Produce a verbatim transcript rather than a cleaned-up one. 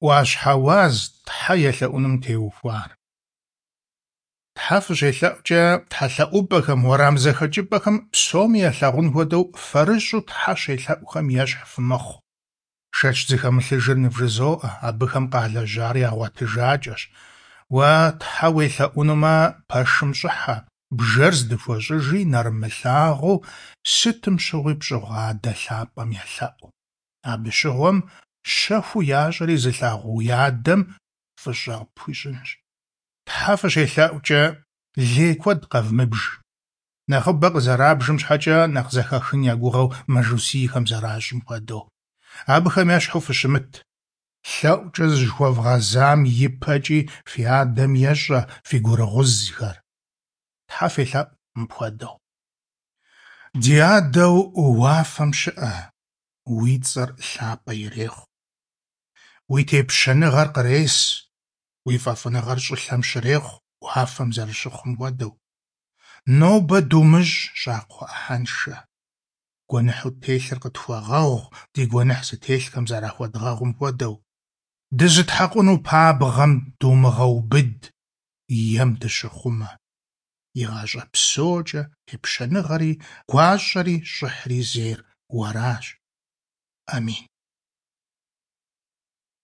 Ӏуащхьэ уаз Тхьэ елъэӀуным теухуар. Тхьэ фыщелъэӀукӀэ, тхьэлъэӀупӀэхэм, уэрам зэхэкӀыпӀэхэм псоми ялъагъун хуэдэу фэрыщӀу тхьэ щелъэӀухэм ещхь фымыхъу. Шэч зыхэмылъыжыр нывжызоӀэ, абыхэм къалэжьар ягъуэтыжакӀэщ. Уэ тхьэ уелъэӀунумэ, пэшым щӀыхьэ, бжэр здыхуэщӀыжи, нэрымылъагъуу сытым щыгъуи пщӀыгъу Адэ лъапӀэм елъэӀу. Абы щыгъуэм щэхуу ящӀэри зылъагъу уи Адэм фӀыщӀэ къыпхуищӀынщ. Тхьэ фыщелъэӀукӀэ, лей куэд къэвмыбж. Нэхъыбэ къызэрабжым щхьэкӀэ нэхъ зэхахын я гугъэу мажусийхэм зэращӀым хуэдэу. Абыхэм ещхьу фыщымыт. ЛъэӀукӀэ зыщыхуэвгъэзам и пэкӀи фи Адэм ещӀэ фи гурыгъузхэр. Тхьэ фелъэӀу мыпхуэдэу: Ди Адэу уафэм щыӀэ, уи цӀэр лъапӀэ ирехъу. Уи тепщэныгъэр кърес, уи фӀэфӀыныгъэр щӀылъэм щрехъу, уафэм зэрыщыхъум хуэдэу. Нобэ думыщӀ щӀакхъуэ Ӏыхьэншэ. Гуэныхьу ттелъыр къытхуэгъэгъу, ди гуэныхь зытелъхэм зэрахуэдгъэгъум хуэдэу. Дызытхьэкъуну пабгъэм думыгъэубыд, ем дыщыхъумэ. ИгъащӀэ псокӀэ тепщэныгъэри, гуащӀэри, щӀыхьри зейр уэращ. Амин.